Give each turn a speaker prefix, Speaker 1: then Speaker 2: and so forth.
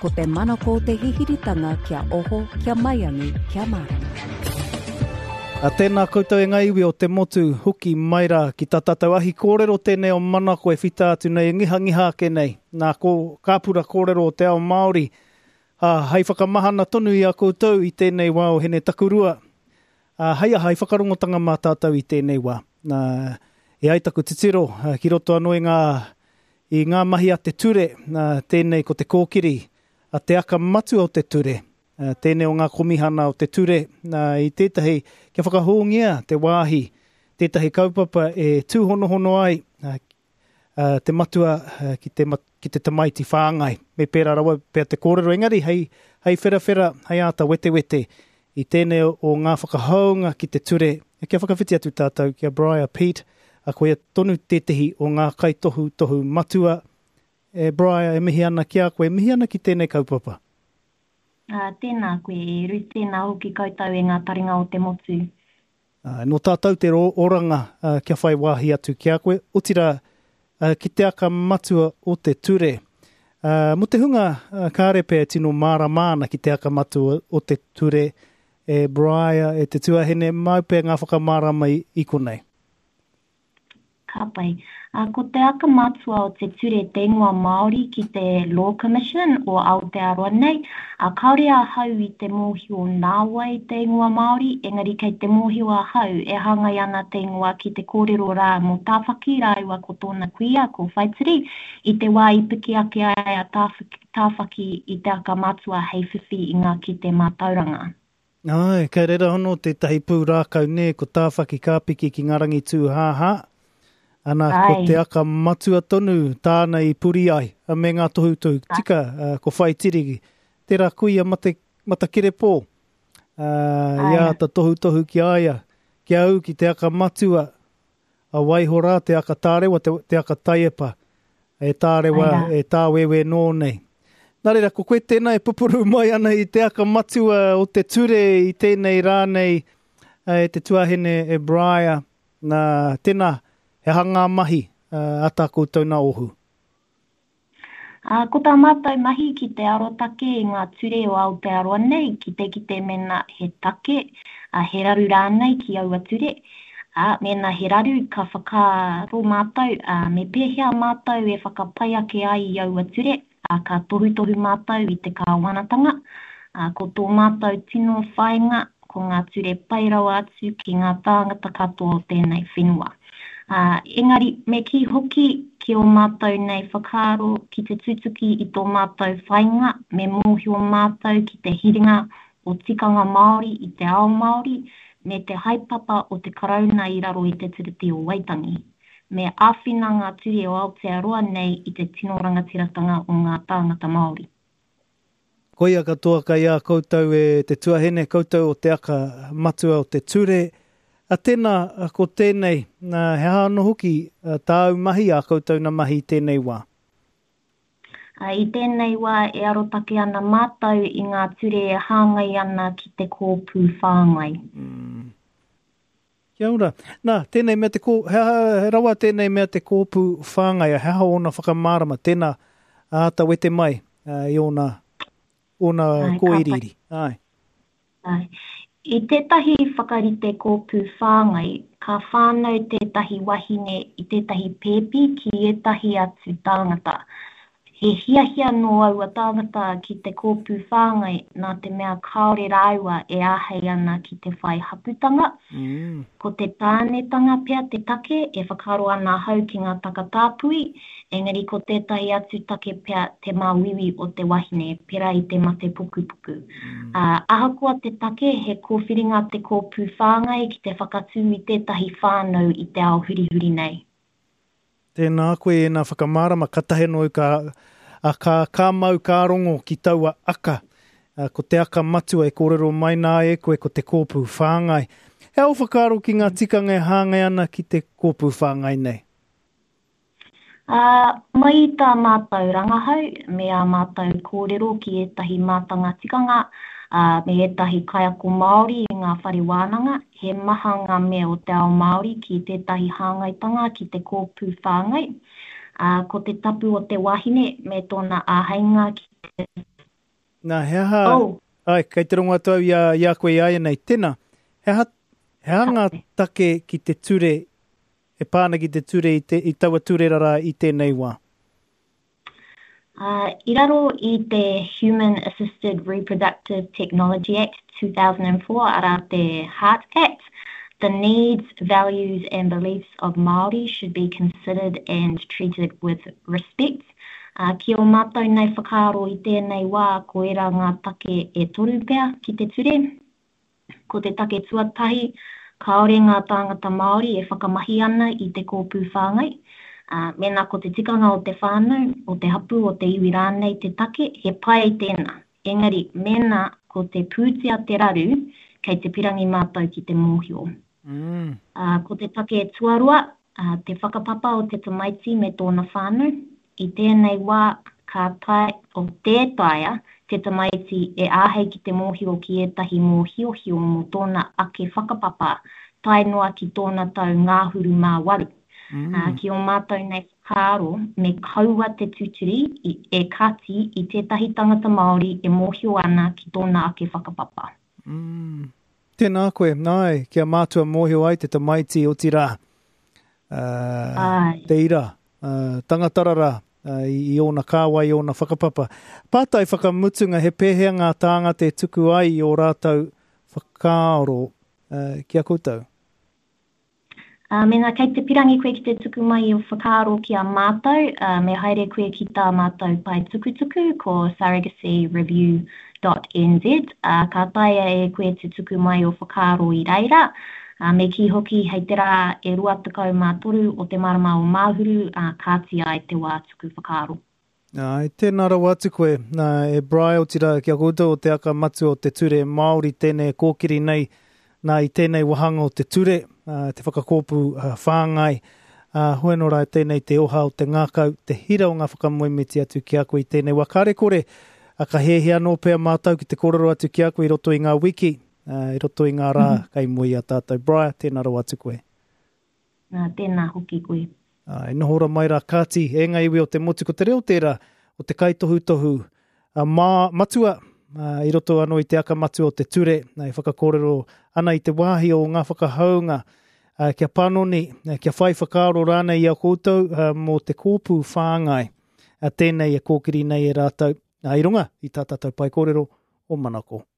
Speaker 1: Ko te manako o te hihiritanga kia oho, kia maiangi, kia mārama.
Speaker 2: A tēnā koutou e ngā iwi o te motu, hoki mai rā ki tā tātou ahi kōrero tēnei o Manako e whita atu nei, e ngihangiha ake nei, nā ko kāpura kōrero o te ao Māori, ā, hei whakamahana tonu i a koutou i tēnei wā o Hene Takurua, ā, hei aha, hei whakarongotanga mā tātou i tēnei wā. Nā, e ai taku titiro, ki roto anō i ngā, i ngā mahi a te ture, nā, tēnei ko te kōkiri a te aka matua o te ture, tēnei o ngā komihana o te ture, nā, i tētahi, kia whakahōngia te wāhi, tētahi kaupapa e tūhonohono ai te matua ki te, ki te tamaiti whāngai. Me pērā rawa pea te kōrero, engari hei, hei wherawhera, hei āta wetewete i tēnei o ngā whakahounga ki te ture, kia whakawhiti atu tātou ki a Briar Peat, a koia tonu tētehi o ngā kaitohutohu matua. E Briar, e mihi ana ki a koe, e mihi ana ki tēnei kaupapa.
Speaker 3: Ā, tēnā koe e Eru, tēnā hoki koutou e ngā taringa o te motu.
Speaker 2: Ā, nō tātou te oranga kia whai wāhi atu ki a koe, otirā, ki te aka matua o te ture. Ā, mō te hunga kāre pea e tino mārama ana ki te aka matua o te ture, e Briar, e te tuahine, māu pea ngā whakamārama i konei.
Speaker 3: Ka pai. Ā, ko te aka matua o te ture te ingoa Māori ki te Law Commission o Aotearoa nei, ā, kāore ahau i te mōhio nā wai te ingoa Māori, engari kei te mōhio ahau e hāngai ana te ingoa ki te kōrero rā mō Tāwhaki rāua ko tōna kuia, ko Whaitiri, i te wā i piki ake ai a Tāwhaki i te aka matua hei whiwhi i ngā kite mātauranga.
Speaker 2: Āe, kei reira anō tētahi pūrākau nē, ko Tāwhaki ka piki ki ngā rangi tūhāhā, ana, ko te aka matua tonu tāna i puri ai, me ngā tohutohu tika, ko Whaitiri, tērā kuia mate, matakerepō, i āta tohutohu ki a ia, kia ū ki te aka matua, A waiho rā te aka tārewa, te, te aka taiepa, e tārewa, e tāwewe nō nei. Nā reira, ko koe tēnā e pupuru mai ana i te aka matua o te ture i tēnei rā nei e te tuahine e Briar. Nā, tēnā, he aha ngā mahi a tā koutou nā ohu?
Speaker 3: Ā, ko tā mātou mahi ki te arotake i ngā ture o Aotearoa nei, ki te kite mēnā he take, ā, he raru rānei ki aua ture. Ā, mēnā he raru, ka whakaaro mātou, ā, me pēhea mātou e whakapai ake ai i aua ture, ā, ka tohutohu mātou i te kāwanatanga. Ā, ko tō mātou tino whāinga, ko ngā ture pai rawa atu ki ngā tāngata katoa o tēnei whenua. Ā, engari, me kī hoki ki ō mātou nei whakaaro ki te tutuki i tō mātou whāinga, me mōhio mātou ki te hiringa o tikanga Māori i te ao Māori, me te haepapa o te Karauna i raro i te Tiriti o Waitangi. Me āwhina ngā ture o Aotearoa nei i te tino rangatiratanga o ngā tāngata Māori.
Speaker 2: Koia katoa kei a koutou e te tuahine, koutou o te aka matua o te ture. A tena, ko tenei, he aha ano hoki tāu mahi, a koutou na mahi i tenei wa?
Speaker 3: I tēnei wā e arotake ana mātou i ngā ture e hāngai ana ki te kōpū whāngai.
Speaker 2: Kia ora. Nā, tēnei mea te kō, he aha he rawa tēnei mea te kōpū whāngai, he aha ōna whakamārama, tēnā, āta wete mai i ōna, ōna Āe, ka pai. kōiriiri. Āe.
Speaker 3: Āe. I tētahi whakarite kōpū whāngai, ka whānau tētahi wahine i tētahi pēpi ki ētahi atu tāngata. He hiahia nō aua tāngata ki te kōpū whāngai nā te mea kāore rāua e āhei ana ki te whai hapūtanga. Ko te tānetanga pea te take e whakaaro ana ahau ki ngā takatāpui, engari ko tētahi atu take pea te māuiui o te wahine, pērā i te mate pukupuku. Ā, ahakoa te take, he kōwhiringa te kōpū whāngai ki te whakatū i tētahi whānau i te ao hurihuri nei.
Speaker 2: Tēnā koe ēnā whakamārama, katahi anō au ka, a, ka, ka mau ka rongo ki taua aka. A, ko te aka matua e kōrero mai nā e koe ko te kōpū whāngai. He aha ō whakaaro ki ngā tikanga e hāngai ana ki te kōpū whāngai nei?
Speaker 3: Ā, mai i tā mātou rangahau me ā mātou kōrero ki ētahi mātanga tikanga, ā, me ētahi kaiako Māori i ngā whare wānanga, He maha ngā mea o te ao Māori ki tētahi hāngaitanga ki te kōpū whāngai, ā, ko te tapu o te wahine me tōna āheinga ki te.
Speaker 2: Nā, he aha... Oh. Ai, kei te rongo atu au i a, i a koe i āianei. Tēnā, he aha, he aha ngā take ki te ture, e pā ana ki te ture i, te, i taua ture rarā i tēnei wā?
Speaker 3: I raro i te Human Assisted Reproductive Technology Act 2004, arā te HART Act, the needs, values and beliefs of Māori should be considered and treated with respect. Ki ō mātou nei whakaaro i tēnei wā, ko ērā ngā take e toru pea ki te ture. Ko te take tuatahi, kāore ngā tāngata Māori e whakamahi ana i te kōpū whāngai. Ā, mēnā ko te tikanga o te whānau, o te hapū, o te iwi rānei te take, he pai tēnā. Engari, mēnā ko te pūtea te raru, kei te pirangi mātou ki te mōhio. Ā, ko te take tuarua, ā, te whakapapa o te tamaiti me tōna whānau. I tēnei wā, ka tae, o, tē taea te tamaiti e āhei ki te mōhio ki ētahi mōhiohio mō tōna ake whakapapa tae noa ki tōna tau ngahuru mā waru. Ā, ki ō mātou nei whakaaro, me kaua te tuturi i, e kati i tētahi tangata Māori e mōhio ana ki tōna ake whakapapa.
Speaker 2: Mm. Tēnā koe, nāi, kia mātua mōhio ai te tamaiti, otirā, uh, te ira, uh, tangata rara, uh, i, i ōna kāwai, i ōna whakapapa. Pātai whakamutunga, he pēhea ngā tāngata e tuku ai i ō rātou whakaaro uh, ki a koutou?
Speaker 3: Ā, mēnā kei te pirangi koe ki te tuku mai i ō whakaaro ki a mātou, ā, me haere koe ki tā mātou pae tukutuku, ko surrogacyreview dot nz, ā, ka taea e koe te tuku mai ō whakaaro i reira. Ā, me kī hoki hei te rā e 23 o te marama o Māhuru, ā, kāti ai te wā tuku whakaaro.
Speaker 2: Āe, tēnā rawa atu koe, nā, e Bry, otirā ki a koutou o te aka matua o te ture Māori tēnei e kōkiri nei, nā, i tēnei wāhanga o te ture, ā, te whakakōpū whāngai, ā, hoi anō rā tēnei te oha o te ngākau, te hira o ngā whakamoemiti atu ki a koe i tēnei wā. Kāre kore, ā, ka hiahia anō pea mātou ki te kōrero atu ki a koe i roto i ngā wiki, ā, i roto i ngā rā kei mua i a tātou. Bry, tēnā rawa atu koe.
Speaker 3: Nā, tēnā hoki koe.
Speaker 2: Ā, e noho ora mai rā, kāti, e ngā iwi o te motu, ko te reo tērā o te kaitohutohu a mā, matua, ā, i roto anō i te aka matua o te ture, ā, e whakakōrero ana i te wāhi o ngā whakahaunga, ā, kia panoni, ā, kia whai whakaaro rānei i a koutou, ā, mō te kōpū whāngai, ā, tēnei e kōkiri nei e rātou, ā, i runga i tā tātou pae kōrero o Manako.